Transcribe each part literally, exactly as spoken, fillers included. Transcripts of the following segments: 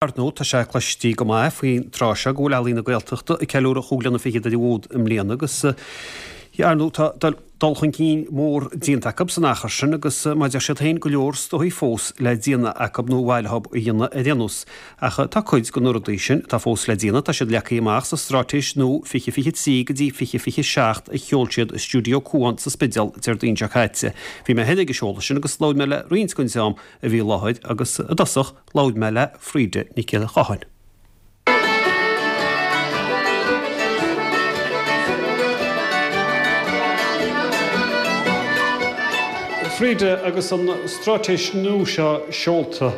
Ar ndóigh, tá sé cloiste go maith faoin tráth seo go bhfuil Ealaín na Gaeltachta ag ceiliúradh chúig bliana fichead ar an bhfód i mbliana agus ar ndóigh tá dul chun cinn mór déanta acu san achar sin agus mar a deir siad féin go leor is dóigh fós le déanamh acu nó ba mhaith leo a dhéanamh ar aon nós. Ach tá cuid de na rudaí sin atá fós le déanamh, tá siad leagtha amach sa Straitéis nua fiche fiche trí go dtí fiche fiche seacht a sheol siad i Stiúideo Cuan sa Spidéal Déardaoin seo caite. Bhí mé féin ag an seoladh sin agus labhair mé le roinnt den dream a bhí i láthair agus i dtosach labhair mé le Frida Nic Giolla Cháthain. Frida, agus an straitéis nua seo seolta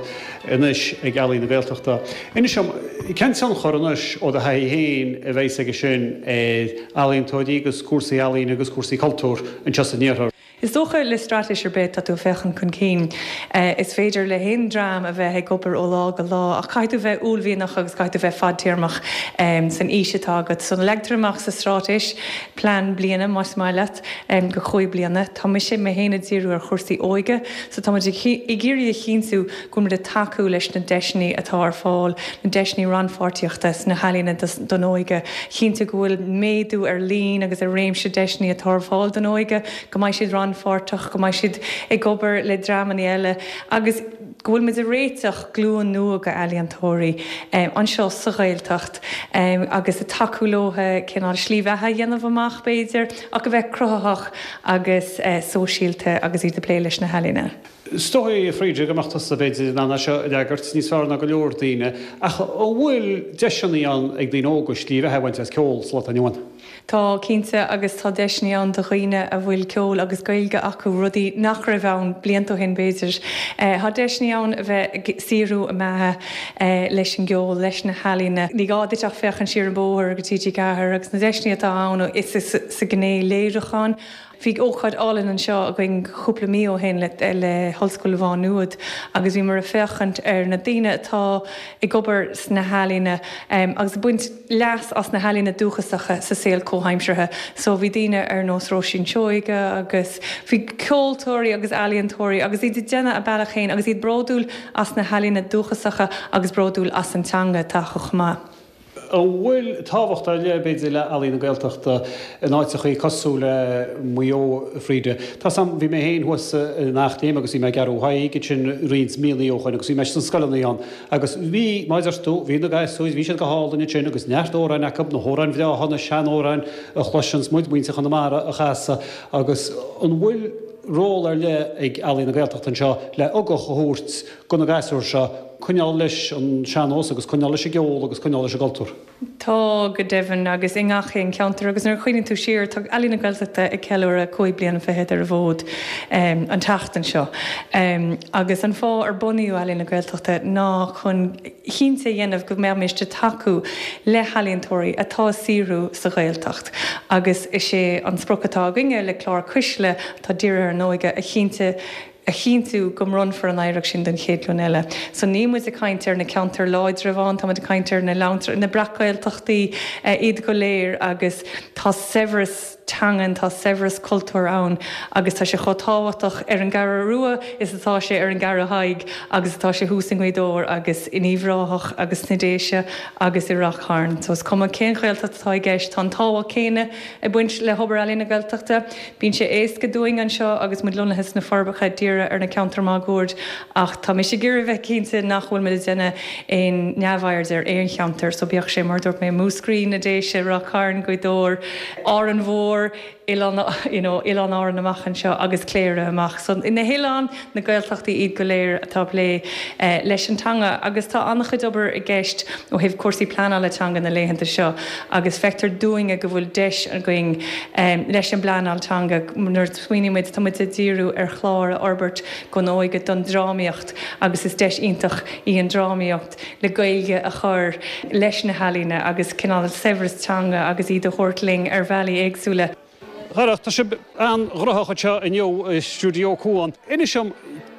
anois ag Ealaín na Gaeltachta, inis dom, cén tionchar anois ó do thaithí féin a bheas aige sin ar ealaíontóirí agus cúrsaí ealaíne agus cúrsaí cultúir anseo san iarthar? Is dócha le straitéis ar bith tá tú ag féachaint chun cinn. Is féidir le haon dream a bheith ag obair ó lá go lá ach caithfidh tú bheith uaillmhianach agus caithfidh tú bheith fadtéarmach san fhís atá agat. So leagtar amach sa straitéis plean bliana más maith leat go chúig bliana. Tá mise mé féin ag díriú ar chúrsaí óige so tá muid ag iarraidh a chinntiú go bhfuil muid ag tacú leis na deiseanna atá ar fáil, na deiseanna rannpháirtíochta sna healaíona don óige, chinntiú go bhfuil méadú ar líon agus ar réimse deiseanna atá ar fáil don óige, go mbeidh siad rannpháirteach, go mbeidh siad ag obair le dreamanna eile agus go bhfuil muid ag réiteach glúin nua d'ealaíontóirí anseo sa Ghaeltacht agus ag tacú leo cineál slí bheatha a dhéanamh amach b'fhéidir ach a bheith cruthaitheach agus sóisialta agus iad ag plé leis na healaíona. Is dóigh, a Frida, go mbeadh tusa b'fhéidir in ann é seo a fhreagairt níos fearr ná go leor daoine, ach an bhfuil deiseanna ann ag daoine óga slí bheatha a bhaint as ceol sa lá atá inniu ann? Tá, cinnte, agus tá deiseanna ann do dhaoine a bhfuil ceol agus Gaeilge acu, rudaí nach raibh ann blianta ó shin, b'fhéidir. Tá deiseanna ann a bheith ag saothrú a mbeatha leis an gceol, leis na healaíona. Ní gá duit ach féachaint siar an bóthar go T G Ceathair agus na deiseanna atá ann is sa ghné léiriúcháin. Bhí ócáid álainn anseo againn cúpla mí ó shin le hOllscoil Mhá Nuad agus bhíomar ag féachaint ar na daoine atá ag obair sna healaíona agus ag baint leas as na healaíona dúchasacha sa saol comhaimseartha. So bhí daoine ar nós Róisín Seoige agus bhí ceoltóirí agus ealaíontóirí agus iad ag déanamh a bealach féin agus iad bródúil as na healaíona dúchasacha agus bródúil as an teanga atá acu chomh maith. An bhfuil tábhacht ar leith, b'fhéidir, le Ealaín na Gaeltachta in áiteachaí cosúil le Maigh Eo, a Frida? Tá 's a'm, bhí mé féin thuas in Eachléim agus bhí mé ag Gearú Thaidhg ansin roinnt míonna ó shoin agus bhí mé sna scoileanna ann agus bhí, mar a deir tú, bhí na gasúir, bhí siad go hálainn ansin agus neart amhráin acu, na hamhráin bhreátha, na seanamhráin a chloiseanns muid, muintir Chonamara a chasadh agus an bhfuil ról ar leith ag Ealaín na Gaeltachta anseo le ugach a thabhairt do na gasúir seo coinneáil leis an sean-nós agus coinneáil leis an gceol agus coinneáil leis an gcultúr. Tá, go deimhin, agus i ngach aon cheantar. Agus nuair a chuimhníonn tú siar, tá Ealaín na Gaeltachta ag ceiliúradh cúig bliana fichead ar an bhfód an tseachtain seo. Agus an fáth ar bunaíodh Ealaín na Gaeltachta ná chun cinnte a dhéanamh go mbeimis ag tacú le healaíontóirí atá ag saothrú sa Ghaeltacht. Agus is é an sprioc atá againne le clár Cuisle, atá dírithe ar an óige, a chinnte, a chinntiú go mbronnfar an oidhreacht sin don chéad ghlúin eile. So níl muid ag caint ar na ceantair láidre amháin, tá muid ag caint ar na na breac-Ghaeltachtaí iad go léir agus tá saibhreas teangan, tá saibhreas cultúir ann agus tá sé chomh tábhachtach ar an gCeathrú Rua is atá sé ar an gCeathrú Thaidhg agus atá sé thuas i nGaoth Dobhair agus in Uíbh Ráthach agus sna Déise agus i Rath Chairn. So is cuma cén Ghaeltacht atá i gceist, tá an tábhacht céanna ag baint le hobair Ealaín na Gaeltachta. Bíonn sé éasca dúinn anseo agus muid lonnaithe sna Forbacha díriú ar na ceantair máguaird ach tá mise ag iarraidh bheith cinnte nach bhfuil muid ag déanamh aon neamhaird ar aon cheantar so bíodh sé mar a dúirt mé Múscraí, na Déise, Ráth Chairn, Gaoth Dobhair, Árainn Mhór, Oileán you know Oileáin Árann amach anseo agus Cléire amach. So na hoileáin, na Gaeltachtaí iad go léir atá ag plé leis an teanga agus tá an-chuid obair i gceist ó thaobh cúrsaí pleanála teanga na laethanta seo agus feictear dúinne go bhfuil deis againn leis an bpleanáil teanga nuair a smaoiníonn muid, tá muid ag díriú ar chlár a fhorbairt don óige don drámaíocht agus is deis iontach í an drámaíocht le Gaeilge a chur leis na healaíona agus cineál saibhreas teanga agus iad a thabhairt linn ar bhealaí éagsúla. Darach, tá sibh an-ghnóthach anseo inniu i Stiúideo Cuan. Inis dom,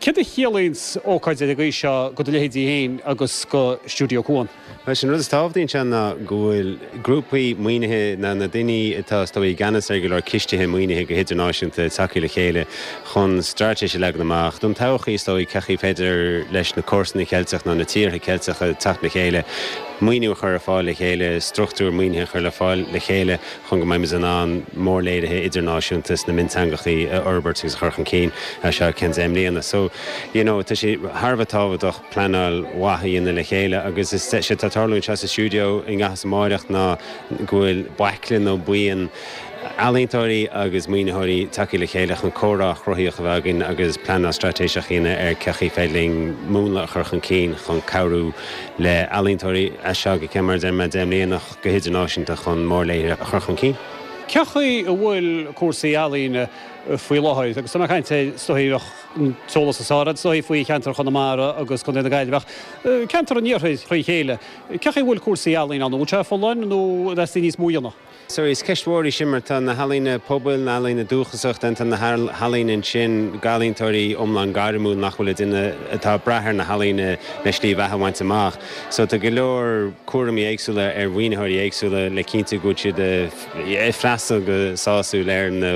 Céard a chiallaíonn ócáid ar an gcaoi seo do do leithéidí féin agus go Stiúideo Cuan? Bhuel, sin rud is tábhachtaí anseo ná go bhfuil grúpaí maoinithe na na daoine atá is dóigh i gceannas ar go leor cistithe maoinithe go hidirnáisiúnta tagtha le chéile chun straitéis a leagan amach don todhchaí is dóigh cén chaoi féidir leis na comharsana Ceilteach nó na tíortha Ceilteacha teacht le chéile maoiniú a chur ar fáil le chéile, struchtúr maoinithe a chur le fáil le chéile chun go mbeidh in ann mórléirithe idirnáisiúnta sna mionteangachaí a fhorbairt agus a chur chun cinn seo ceann deich mbliana. So you know, tá sé thar a bheith tábhachtach pleanáil mhaith a dhéanamh le chéile agus is sé tá tarlú anseo sa stiúideo i nGaillimh amárach ná go bhfuil baicle nó buíon ealaíontóirí agus maoinitheoirí tagtha le chéile chun comhrá cruthaitheach a bheith againn agus pleanáil straitéiseach a dhéanamh ar cén chaoi féidir linn múnla a chur chun cinn chun cabhrú le ealaíontóirí as seo go ceann mar deir mé deich mbliana go hidirnáisiúnta chun mórléirithe a chur chun cinn. Cén chaoi a bhfuil cúrsaí ealaíne faoi láthair agus tá mé ag caint is dóigh an t-eolas is fearr is dóigh faoi cheantar Chonamara agus Contae na Gaillimhe ach ceantar an iarthair trí chéile. Cén chaoi a bhfuil cúrsaí ealaíne ann, bhfuil sé folláin nó theastaigh níos mó a dhéanamh? So is ceist mhór í sin mar tá na healaíona pobail, na healaíona dúchasach, tá na healaíona ansin d'ealaíontóirí iomlán gairmiúil nach bhfuil duine atá ag brath ar na healaíona le slí bheatha a bhaint amach. So tá go leor cúraimí éagsúla ar mhaoinitheoirí éagsúla le cinntiú go bhfuil siad ag freastal go sásúil ar na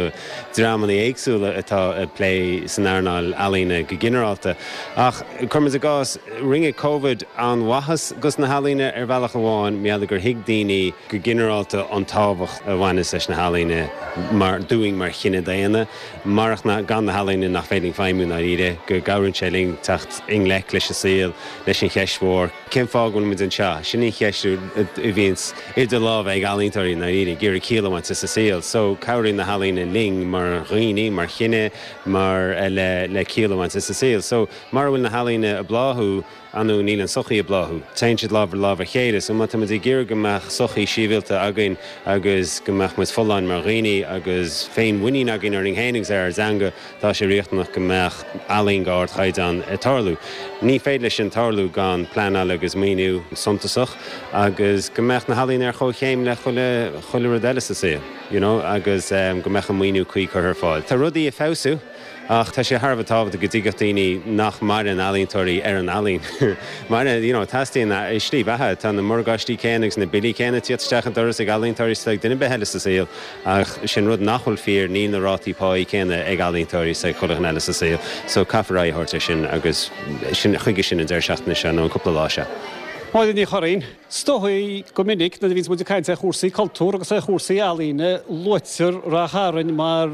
dreamanna éagsúla atá ag plé san earnáil ealaíne go ginearálta. Ach cuirim i gcás rinne Covid an-mhaitheas dos na healaíona ar bhealach amháin mar gur thuig daoine go ginearálta an tábhacht a bhaineas leis na healaíona mar dúinn mar chine daonna, marach na gan na healaíona nach féidir feidhmiú dáiríre go gcabhraíonn sé linn teacht i ngleic leis an saol leis an cheist mhór. Cén fáth go bhfuil muid anseo, sin an cheist a bhíonns idir lámha ag ealaíontóirí dáiríre ag iarraidh ciall a bhaint as an saol, so cabhraíonn na healaíona linn mar dhaoine, mar chine, mar le le ciall a bhaint as an saol. So mura bhfuil na healaíona ag bláthú anú níl an tsochaí ag bláthú. Téann siad lámh ar lámh a chéile, so má tá muid ag iarraidh go mbeadh sochaí sibhialta againn agus go mbeadh muid folláin mar dhaoine agus féinmhuinín againn orainn féin agus ar ár dteanga tá sé riachtanach go mbeadh ealaín d'ardchaighdeán ag tarlú. Ní féidir leis sin tarlú gan pleanáil agus maoiniú suntasach agus go mbeadh na healaíona ar chomhchéim le chuile chuile rud eile sa saol, you know, agus um, go mbeadh an maoiniú cuí curtha ar fáil. Tá rudaí ag feabhsú ach tá sé thar a bheith tábhachtach go dtuigfeadh daoine nach maireann ealaíontóirí ar an ealaín. Mar you know, teastaíonn slí bheatha tá na morgáistí céanna agus na billí céanna ag teacht isteach an doras ag ealaíontóirí ag duine ar bith eile sa saol ach sin rud nach bhfuil fíor níl na rátaí pá céanna ag ealaíontóirí is ag chuile dhuine eile sa saol, so caithfear aghaidh a thabhairt air sin agus sin chuige sin an deireadh seachtaine seo nó an cúpla lá seo. Máire Ní Churraoin, is dóigh go minic nuair a bhíonns muid ag caint ar chúrsaí cultúr agus ar chúrsaí ealaíne luaitear Ráth Chairn mar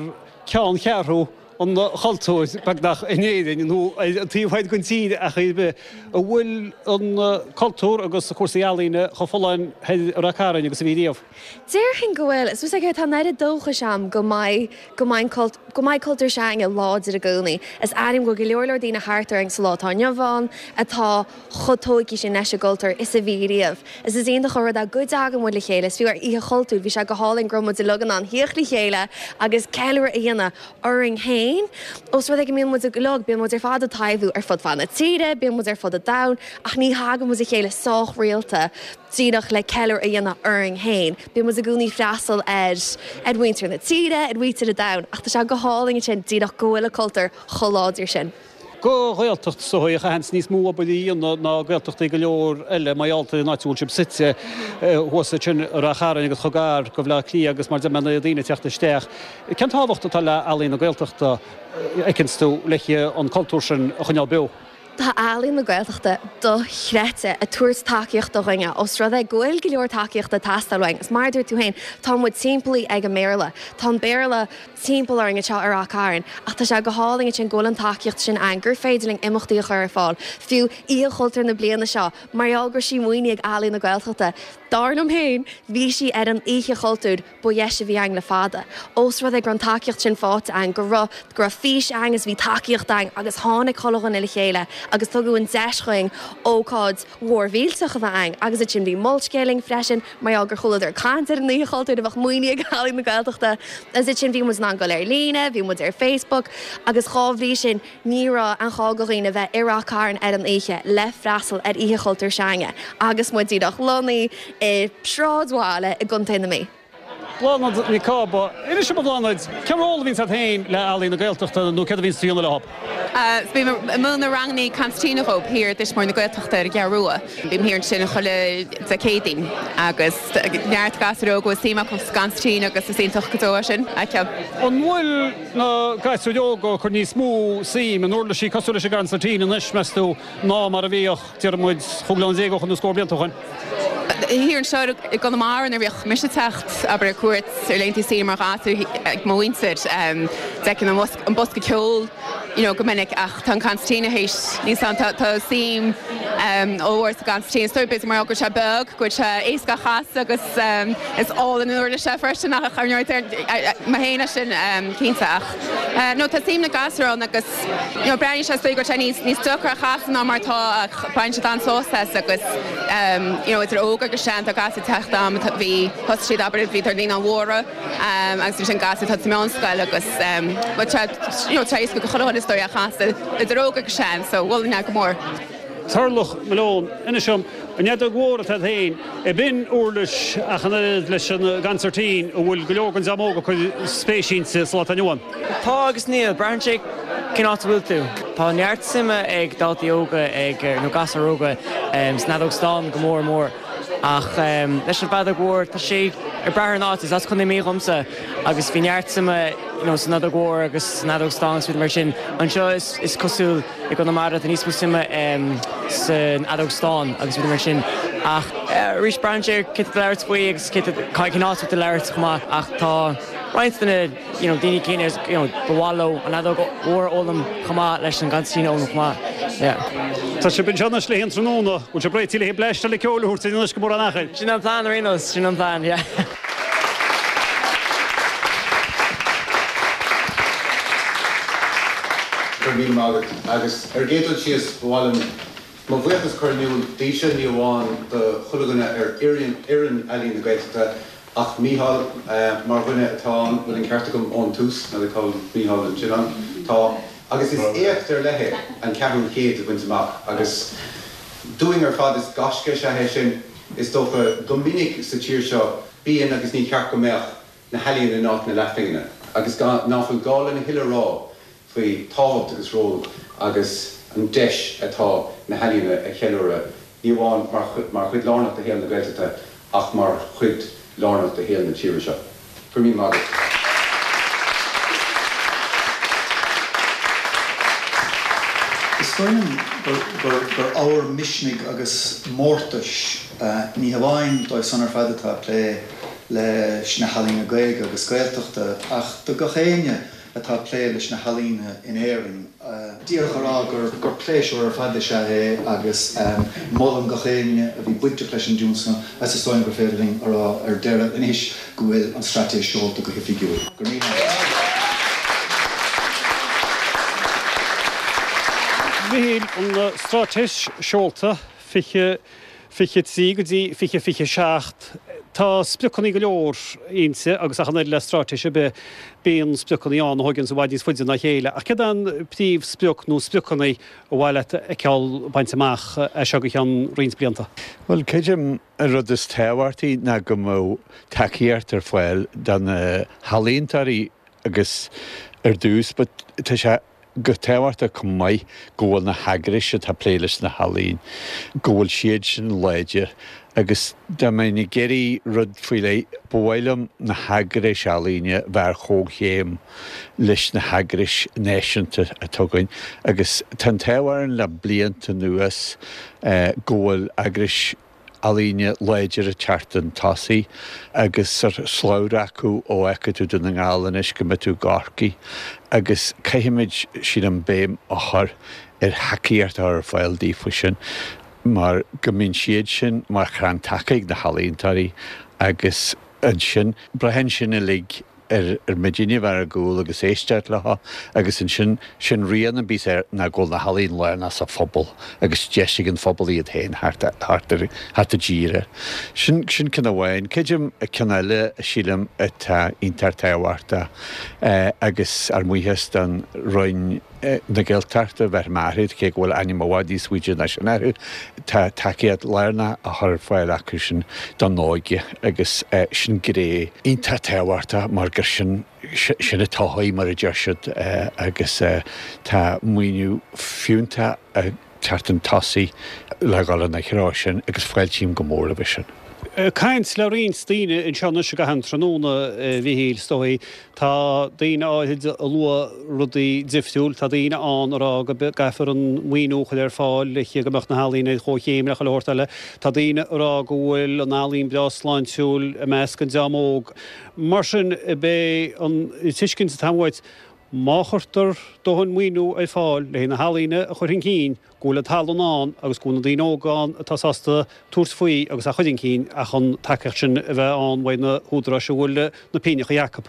cheanncheathrú an chultúir beagnach in Éirinn nó an taobh thoir den tír ach ar bith an bhfuil an cultúr agus cúrsaí ealaíne chomh folláin i Ráth Chairn agus a bhí riamh. Déarfainn go bhfuil is ag tá an-oiread dóchais agam go mbeidh go mbeidh go mbeidh cultúr s'againne láidir i gcónaí. Is airím go go leor leor daoine thart orainn sa lá atá inniu ann atá chomh tógtha sin leis an gcultúr is a bhí riamh. Is is iontach an rud é go dtagann muid le chéile, is fiú ar Oíche Chultúir, bhí sé go hálainn go raibh muid uilig in ann theacht le chéile agus ceiliúradh a dhéanamh orainn féin. Ós rud é go mbíonn muid uilig, bíonn muid ar fad ag taibhiú ar fud fad na tíre, bíonn muid ar fud an domhain, ach ní thagann muid le chéile sách rialta díreach le ceiliúradh a dhéanamh orainn féin. Bíonn muid i gcónaí ag freastal ar ar mhuintir na tíre, ar mhuintir an domhain, ach tá sé go hálainn sin díreach go bhfuil an cultúr chomh láidir sin. Go Ghaeltacht is dóigh a chaitheanns níos mó obair a dhéanamh ná Gaeltachtaí go leor eile mar gheall ar an áit a bhfuil sibh suite thuas ansin i Ráth Chairn agus chomh gar go Bhaile Átha Cliath agus mar de na daoine teacht isteach. Cén tábhacht atá le Ealaín na Gaeltachta a fheiceanns tú le an cultúr sin a choinneáil beo? Tá Ealaín na Gaeltachta dochreidte ag tabhairt tacaíocht do dhaoine os rud é go bhfuil go leor tacaíochta ag teastáil uainn. Is mar dúirt tú féin tá muid timpeallaithe ag an mBéarla. Tá an Béarla timpeall orainn anseo ar Ráth Chairn, ach tá sé go hálainn sin go bhfuil an tacaíocht sin ann gur féidir linn imeachtaí a chur ar fáil. Fiú Oíche Chultúir na bliana seo, mar gheall go raibh sí maoinithe ag Ealaín na Gaeltachta. Dar liom féin, bhí sí ar an Oíche Chultúir ba dheise a bhí ann le fada. Ós rud é go raibh an tacaíocht sin faighte ann go raibh go raibh fís ann is bhí tacaíocht ann agus tháinig chuile dhuine le chéile agus tugadh an deis dúinn ócáid mhór mhillteach a bheith ann agus ansin bhí Molscéal linn freisin mar gheall gur chualadar caint ar an Oíche Chultúir a bheadh maoinithe ag Ealaín na Gaeltachta. Agus ansin bhí muid in ann dul ar líne, bhí muid ar Facebook agus dhá bhrí sin ní raibh aon ghá do dhaoine bheith i Ráth Chairn ar an oíche le freastal ar Oíche Chultúir s'againne agus muid díreach lonnaithe i sráidbhaile i gContae na Mí. Bláthnaid Nic Cába. Inis dom a Bhláthnaid, cén ról a bhíonns agat féin le Ealaín na Gaeltachta nó céard a bhíonns tú a dhéanamh leo? Bím ag múineadh rangannaí consairtín dhóibh thiar i dTuismitheoirí na Gaeltachta ar an gCeathrú Rua. Bím thiar ansin chuile Dé Céadaoin agus neart gasúir óga a bhfuil suim acu sa gconsairtín agus is iontach go deo é sin a fheiceáil. An bhfuil na gasúir óga ag cur níos mó suim in uirlisí cosúil leis an gconsairtín anois, meas tú, ná mar a bhíodh, déarfaidh muid, chúig bliana déag ó shoin nó scór blianta ó shoin? Thiar anseo i gConamara nuair a bhíodh mise ag teacht, abair, ar cuairt ar laethanta saoire mar ghasúr ag mo mhuintir, d'fheicfinn an bosca ceoil you know go minic ach tá an concertina théis níos ann, tá suim ollmhór sa gconsairtín. Is dóigh b'fhéidir mar go bhfuil sé beag, go bhfuil sé éasca a chasadh agus is álainn an uirlis é freisin ach ar ndóigh mé féin é sin cinnte ach no tá suim na gasúr ann agus you know breathnaíonn sé is dóigh go bhfuil sé níos níos deacra a chasadh ná mar atá ach baineann siad an-sásamh as agus you know idir óg agus sean tá gasúir ag teacht am bhí thosaigh siad abair bhí tar naíonáin mhóra agus ansin gasúir atá sa meánscoil agus bhuel tá you know tá éasca go chuile dhuine is dóigh é a chasadh idir óg agus sean so mholfainn é go mór. Turlough Malone, Inis dom, an fheadóg mhór atá agat féin, ab in uirlis ach an oiread leis an gconsairtín a bhfuil go leor den dream óg ag cur spéis inti sa lá atá inniu ann? Tá agus níl, braitheann sé cén áit a bhfuil tú. Tá neart suime ag daltaí óga ag nó gasúir óga san fheadóg stáin go mór mór ach leis an bhfeadóg mhór tá sé ag brath ar an áit. Is as Contae na Mí dhomsa agus bhí neart suime you know san fheadóg mhór agus san fheadóg stáin agus rudaí mar sin. Anseo is is cosúil i gConamara tá níos mó suime san fheadóg stáin agus rudaí mar sin ach arís braitheann sé ar cé tá ag labhairt faoi agus cé cén áit atá tú ag labhairt chomh maith ach tá roinnt de na you know daoine céanna you know ba mhaith leo an fheadóg mhór a fhoghlaim chomh maith leis an gconsairtín a fhoghlaim chomh maith. Yeah. Tá sibh anseo anois le haghaidh an tráthnóna, bhfuil sibh réitithe le haghaidh bleaist eile ceoil a thabhairt dúinn anois go mórán achair? Sin an plean ar aon nós, sin an plean, yeah. Go raibh míle maith agat. Agus ar an gcéad dul síos, ba mhaith liom mo bhuíochas a chur in iúl daoibhse, ní amháin do chuile dhuine ar fhoireann Ealaín na Gaeltachta, ach Mícheál mar dhuine atá ann, bhfuil an ceart agam ón tús, n'fheadar cá bhfuil Mícheál ansin ann, tá, agus is éacht ar leith é an ceathrú chéid a bhaint amach agus dúinn ar fad is gaisce is ea é sin, is dócha, go minic sa tír seo bíonn agus ní ceart go mbeadh na healaíona in áit na leathphingine agus ná fuil gá lena thuilleadh a rá faoi tábhacht agus ról agus an deis atá na healaíona a cheiliúradh, ní amháin mar chuid lárnach de shaol na Gaeltachta ach mar chuid lárnach de shaol na tíre seo. Go raibh míle maith agat. Is dóigh liom gur ábhar misnigh agus mórtais, ní hamháin dóibh san ar fad atá ag plé leis na healaíona Gaeilge agus Gaeltachta, ach do gach éinne atá ag plé leis na healaíona in Éirinn. Díreach a rá gur pléisiúr ar fad is ea é agus molaim gach éinne a bhí bainteach leis an dtionscnamh agus is dóigh liom gur féidir linn a rá ar deireadh anois go bhfuil an straitéis seolta go hoifigiúil. Go raibh míle maith agat. Mhichíl, an straitéis seolta, fiche fiche trí go dtí fiche fiche seacht. Tá spriocanna go leor inti agus ach an oiread le straitéis ar bith, bíonn spriocanna ann a thóganns i bhfad níos faide ná a chéile. Ach céard é an príomhsprioc nó spriocanna ar mhaith leat a fheiceáil bainte amach as seo go ceann roinnt blianta? Bhuel, creidim an rud is tábhachtaí ná go mbeadh tacaíocht ar fáil do na healaíontóirí agus ar dtús but tá sé go tábhachtach chomh maith go bhfuil na heagrais atá ag plé leis na healaín, go bhfuil siad sin láidir agus dá mbeinn ag iarraidh rud faoi leith, ba mhaith liom na heagrais ealaíne bheith ar chomhchéim leis na heagrais náisiúnta atá againn agus tá an t-ádh orainn le blianta anuas go bhfuil eagrais ealaíne láidir ag teacht chun tosaigh agus slabhra acu ó fheicfidh tú Dún na nGall anois go mbeidh tú i gCorcaigh agus caithfimid, sílim, béim a chur ar thacaíocht a chur ar fáil daofa sin mar go mbíonn siad sin mar chrann taca ag na healaíontóirí agus ansin braitheann sin uilig ar muidinne a bheith ar a gcúl agus éisteacht leo agus ansin sin rian a bíos air ná go bhfuil na healaíon lárnach sa phobal agus deis ag an phobal iad féin thart thart ar thart i dtír air. Sin sin ceann amháin. Creidim ceann eile sílim atá iontach tábhachtach agus ár mbuíochas don Roinn na Gaeltachta bheith maithid cé go bhfuil ainm i bhfad níos faide ná sin orthu, tá tacaíocht lárnach á chur ar fáil acu sin don óige agus sin gné iontach tábhachtach mar gur sin sin an todhchaí mar a deir siad agus tá maoiniú fiúntach ag teacht chun tosaigh le dhul ina threo sin agus fáiltím go mór roimhe sin. Caint le roinnt daoine anseo anois i gcaitheamh an tráthnóna, a Mhichíl, is dóigh. Tá daoine áirid ag lua rudaí difriúil. Tá daoine ann ag rá go gcaithfear an maoiniú a chur ar fáil le go mbeadh na healaíona ar chomhchéim le chuile shórt eile. Tá daoine ag rá go bhfuil an ealaín breá sláintiúil i measc an dream óg. Mar sin, b'é an tuiscint atá uait, má chuirtear dóthain maoiniú ar fáil le haghaidh na healaíona a chur chun cinn, go bhfuil an tallann ann agus go bhfuil na daoine óga ann atá sásta tabhairt faoi agus a chur chun cinn ach an tacaíocht sin a bheith ann uaidh na húdaráis a bhfuil na pingneacha acu.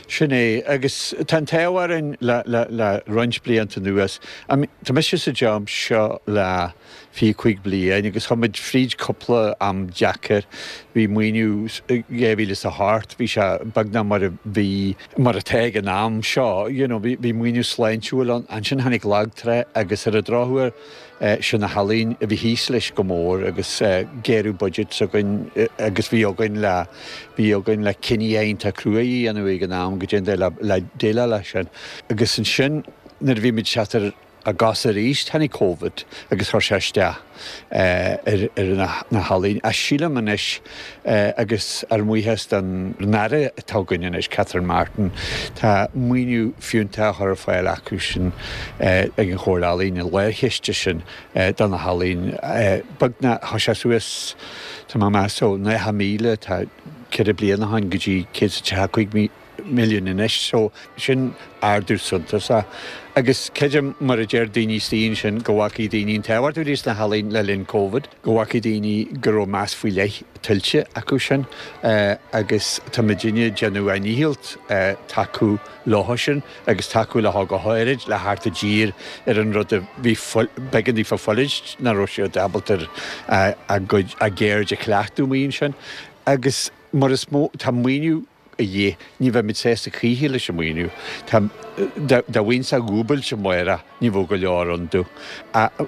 Sin é, agus tá an t-ádh orainn le, le, le roinnt blianta anuas. Tá mise sa job seo le fiche cúig bliain agus chuaigh muid fríd cúpla am deacair. Bhí maoiniú dhá mhíle is a hocht, bhí sé beagnach mar a bhí, mar atá ag an am seo, you know, bhí, bhí maoiniú sláintiúil ann. Ansin tháinig lag trá agus ar an drochuair sin na healaíona a bhí thíos leis go mór agus géarú budget s'againn agus bhí againn le, bhí againn le cinní iontach crua a dhéanamh ag an am go dtéann le, le déileáil leis sin. Agus ansin nuair a bhí muid teacht ar ár gcosa arís, tháinig Covid agus chuir sé isteach ar na healaíona. Ach sílim anois, agus ár mbuíochas don Aire atá againn anois, Catherine Martin, tá maoiniú fiúntach á chur ar fáil acu sin ag an Chomhairle Ealaíon, an lárchiste sin do na healaíona. Beagnach, chuaigh sé suas, tá mé ag meas, ó nócha míle, tá ceithre bliana ó shin, go dtí céad is tríocha cúig míle. milliún anois so sin ardú suntasach. Agus creidim, mar a deir daoine istigh ansin, go bhfacaigh daoine an tábhacht a bhí sna healaíona le linn Covid, go bhfacaigh daoine go raibh meas faoi leith tuillte acu sin agus tá muidinne ag déanamh ár ndícheall tacú leo sin agus tacú leo go háirid le theacht i dtír ar an rud a bhí b'éigean daofa fulaingt nach raibh siad ábalta a gcuid a gceird a chleachtadh amuigh ansin agus mar is mó tá maoiniú a dhíth. Ní bheimid sásta choíche leis an maoiniú. Tá, dá bhfaighinn-sa dhúbailt amárach, ní bheadh go leor ann domh.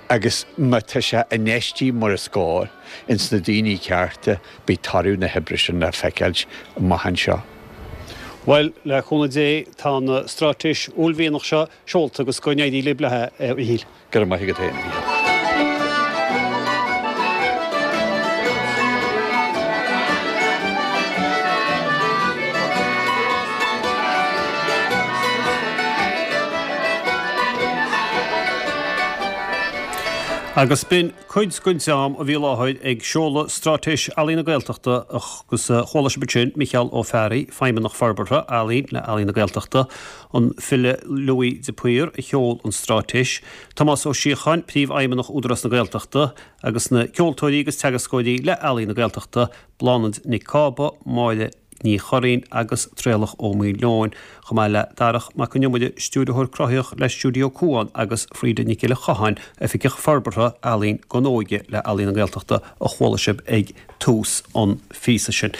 Agus má tá sé infheistithe mar is cóir ins na daoine cearta, beidh toradh na hoibre sin le feiceáilt amach anseo. Bhuel, le cúnamh Dé, tá an straitéis uaillmhianach seo seolta agus go n-éirí libh léi, a Mhichíl. Go raibh maith agat féin, a Mhíchíl. Agus b'in cuid den dream a bhí i láthair ag seoladh Straitéis Ealaíon na Gaeltachta agus chuala sibh ansin Micheál Ó Fearraigh, Feidhmeannach Forbartha Ealaíon le Ealaín na Gaeltachta, an file Louis de Paor a sheol an straitéis, Tomás Ó Síocháin, Príomhfheidhmeannach Údarás na Gaeltachta, agus na ceoltóirí agus teagascóirí le Ealaín na Gaeltachta, Bláthnaid Nic Cába, Máire Ní Churraoin agus Traolach Ó Maoileoin, chomh maith le Darach Mac Con Iomaire, Stiúrthóir Cruthaitheach le Stiúideo Cuan agus Frida Nic Giolla Chatháin, Oifigeach Forbartha Ealaíon don Óige le Ealaín na Gaeltachta a chuala sibh ag tús an phíosa sin.